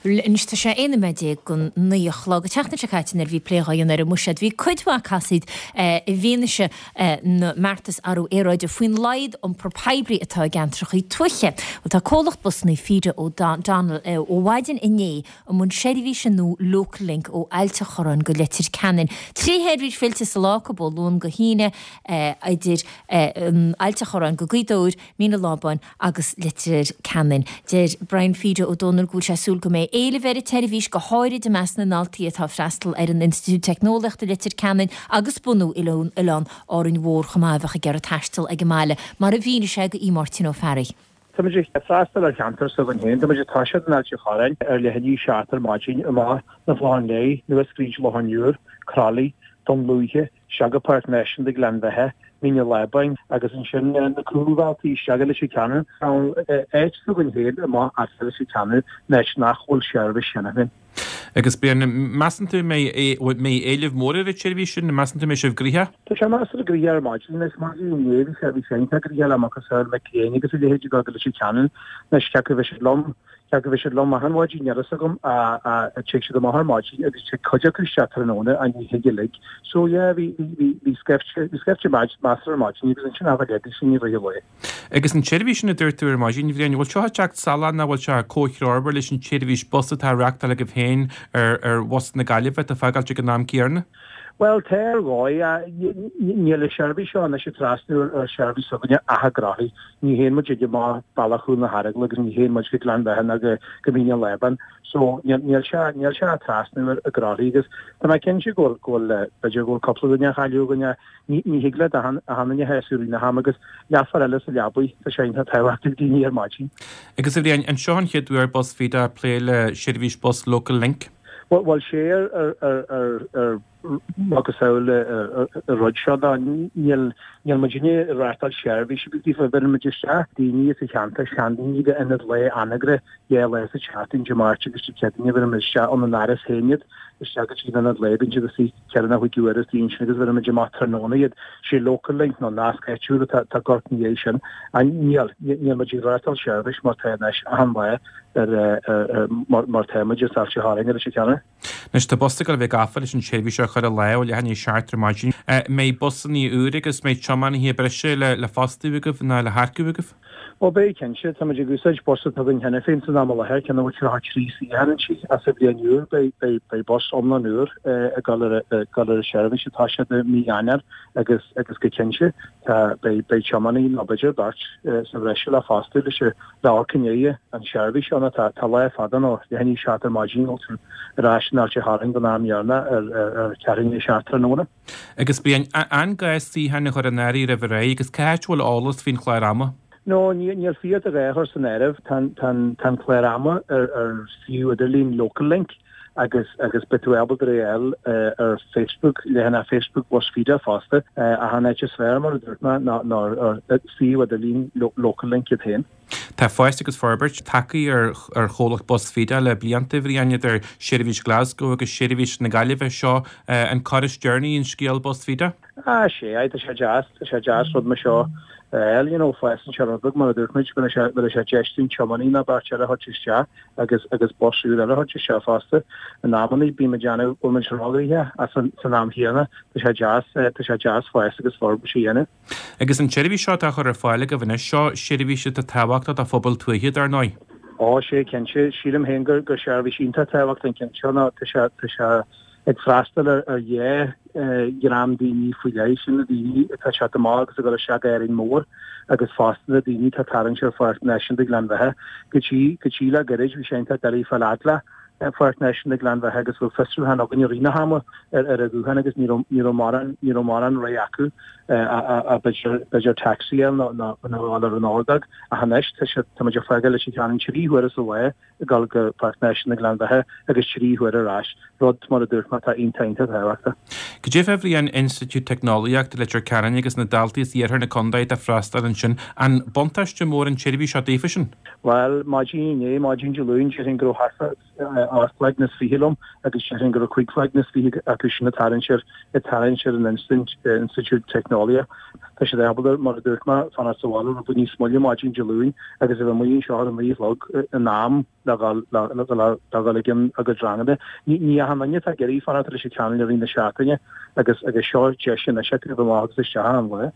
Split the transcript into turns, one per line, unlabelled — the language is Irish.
Anois tá sé 11 nóiméad don 9 a chlog. An tseachtain seo caite nuair a bhí plé dhá dhéanamh ar an mbuiséad bhí cuid mhaith casaoid i bhfianaise na mbeartas athrú aeráide faoin laghad iompar poiblí atá i gceantracha tuaithe. Bhuel tá comhlacht busanna Feeder O'Donnell ó mhaidin inné i mbun seirbhíse nua Local Link ó Ailt a' Chorráin go Leitir Ceanainn. 3 sheirbhís fillte sa lá acu ó Luan go hAoine idir Ailt a' Chorráin go Gaoth Dobhair, Mín an Lábáin agus Leitir Ceanainn. Deir Brian Feeder Ó Dónaill go bhfuil sé ag súil go mbeidh éileamh ar an tseirbhís, go háirid i measc na ndaltaí atá ag freastal ar an Institiúid Teicneolaíochta i Leitir Ceanainn agus bunú Oileán Árainn Mhór chomh maith a bheadh ag iarraidh taisteal ag an mbaile, mar a mhínigh sé do Mháirtín Ó Fearraigh.
Tá muid ag freastal ar cheantar s'againn féin. Tá muid ag toiseacht in Ailt an Chorráin ar leath i ndiaidh a 7 ar maidin, amach na Clocháin Léith, anuas fríd Loch an Iúir, Croithlí, Dún Lúiche, isteach go Páirc Náisiúnta Ghleann Bheatha, Mín an Lábáin agus ansin na cúlbhealtaí isteach go Leitir Ceanainn. Áit s'againn féin amach as Leitir Ceanainn, in áit nach bhfuil seirbhís cheana féin.
Agus Brian, measann tú an mbeidh éileamh mór ar an tseirbhís sin? Measann tú an mbeidh sibh gnoitheach?
Tá sé measartha gnoitheach ar maidin. Anois, maidin inné bhí sé, bhí sé iontach gnoitheach le macasamhail mic léinn agus a leithéid ag dul go Leitir Ceanainn. Anois, cé acu a bheidh siad lom Cé acu a bheidh siad lom achan mhaidin, níl a fhios agam, ach tig siad amach ar maidin agus tig cuid acu isteach tráthnóna ach ní thig uilig. So yeah, bhí, bhí, bhí, bhí scaifte, bhí scaifte measartha ar maidin agus ansin abair léi sin i rith an lae.
Agus an tseirbhís sin a dúirt tú ar maidin, Bhriain, bhfuil seo ag teacht salach nó bhfuil sé comhthreomhar leis an tseirbhís bus atá á reachtáil agaibh féin ar, ar bhus na Gaillimhe atá ag fágáilt ag an am céanna?
Bhuel, tá ar dhóigh. Níl an seirbhís seo anois ag trasnú ar sheirbhís s'againne ach i gCroithlí. Ní théann muid amach bealach Chúil na hEaragla agus ní théann muid go Gleann Bheatha ná go Mín an Lábáin. So, níl sé, níl sé ag trasnú ar i gCroithlí agus tá mé cinnte go bhfuil, go bhfuil, b'fhéidir go bhfuil cúpla duine á chailleadh againn ach ní, ní thig leat achan, achan duine a shásamh i rith na hama agus leathuair eile sa leabaidh, tá sé iontach tábhachtach ag daoine ar maidin.
Agus a Bhriain, an seo an chéad uair Bus Feda ag plé le seirbhís bus Local Link?
Bhuel, sé ar macasamhail an rud seo ná níl níl muidinne ag reáchtáil seirbhís ar bith daofa. Bheireann muid isteach daoine sa cheantar, seandaoine go ionad lae Anagaire 2 lá sa tseachtain, Dé Máirt agus Dé Céadaoine, bheireann muid isteach ón an Áras féin iad isteach go dtí an ionad lae, bíonn siad istigh ceithre nó chúig uair istigh ansin agus bheireann muid amach tráthnóna iad. Sé Local Link nó nasc áitiúil atá ag amharc ina dhiaidh sin. Níl, níl muid ag reáchtáil seirbhís mar tá anois achan lá. ar mar tá muid as Ailt an Chorráin ar Leitir Ceanainn.
Anois tá bus ag dul a bheith gafa leis an tseirbhís seo a chur i láthair ó leath i ndiaidh 7 ar maidin. Mbeidh busanna úr agus mbeidh tiománaithe breise le fostú agaibh nó le hearcú agaibh?
Bhuel beidh cinnte. Tá muid ag úsáid bus atá againn cheana féin san am i láthair, ceann a bhfuil 33 suíochán inti ach sa bhliain úr beidh beidh bus iomlán úr ag dul ar ag dul ar an seirbhís ag toiseacht i mí Eanáir agus agus go cinnte tá beidh beidh tiománaí nó b'fhéidir beirt sa bhreis le fostú leis an Le amharc i ndiaidh an seirbhís seo nó tá lá fada nó leath i ndiaidh 7 ar maidin nó tú ar ais in Ailt an Chorráin don am dheireanach ar ceathrú i ndiaidh 7 tráthnóna.
Agus Brian, an gá suíocháin a chur in áirithe roimh ré agus cá háit a bhfuil eolas faoin chlár ama?
No, níl suíochán a chur san áireamh. Tá an clár ama ar suíomh idirlín Local Link agus agus beidh tú ábalta é a fháil ar Facebook, leathanach Facebook Bus Feda fosta. Ach an áit is fearr, mar a dúirt mé, ná ar suíomh idirlín Local Link iad féin.
Tá fás agus forbairt tagtha ar ar chomhlacht Bus Feda le blianta, a Bhriain, idir seirbhís Glasgow agus seirbhís na Gaillimhe. Seo an cor is deireanaí in scéal Bus Feda?
Ah, sea, tá sé deas, tá sé deas rud mar seo a fháil, you know, fásann sé rud beag, mar a dúirt muid, bheadh sé, bheadh sé deis dúinn tiománaí nó beirt eile a thabhairt isteach. agus agus bus úr eile a thabhairt isteach fosta. In amannaí bíonn muid déanamh bhfuil muid róghnoitheach ach san san am chéanna tá sé deas tá sé deas fás agus forbairt a dhéanamh.
Agus an tseirbhís seo atá á chur ar fáil agaibh anois, seo seirbhís atá tábhachtach do phobail tuaithe dar ndóigh.
Ó sea cinnte, sílim féin gur gur seirbhís iontach tábhachtach an ceann seo nó tá sé tá sé ag freastal ar ar dhá dhream daoine faoi leith, sin na daoine atá ag teacht amach agus ag dul isteach go Árainn Mhór agus fosta na daoine atá ag tarraingt ar Pháirc Náisiúnta Ghleann Bheatha. Go dtí, go dtí le gairid bhí sé iontach doiligh fáil fhad le Páirc Náisiúnta Ghleann Bheatha agus bheadh fiosrúchán againn i rith na hama ar ar an ghuthán agus ní raibh, ní raibh mórán, ní raibh mórán rogha acu b'fhéidir, b'fhéidir taxi a fháil nó, nó, nó a dhul ar an ordóg ach anois tá sé, tá muid ag fágáil Leitir Ceanainn 3 huaire sa lá ag dul go Páirc Náisiúnta Ghleann Bheatha agus 3 huaire ar ais, rud, mar a dúirt mé, atá iontach, iontach tábhachtach.
Cad é fá Bhriain Institiúid Teicneolaíochta Leitir Ceanainn agus na daltaí as iarthar na contae atá ag freastal ansin, an buntáiste mór an tseirbhís seo daofa sin?
Bhuel, maidin inné, maidin Dé Luain, déarfainn go raibh thart fá 8 gcloigne is 20 liom agus déarfainn go raibh 5 chloigne is 20 acu sin ag tarraingt ar ag tarraingt ar an Institiúid Teicneolaíochta. Tá siad ábalta, mar a dúirt mé, fanacht sa bhaile rud beag níos moille maidin Dé Luain agus a bheith amuigh anseo ar a 9 a chlog in am le dhul le dhul ag a gcuid ranganna. Ní achan duine atá ag iarraidh fanacht leis an ceann i rith na seachtaine agus agus seo deis anois acu a bheith amach agus isteach achan lá.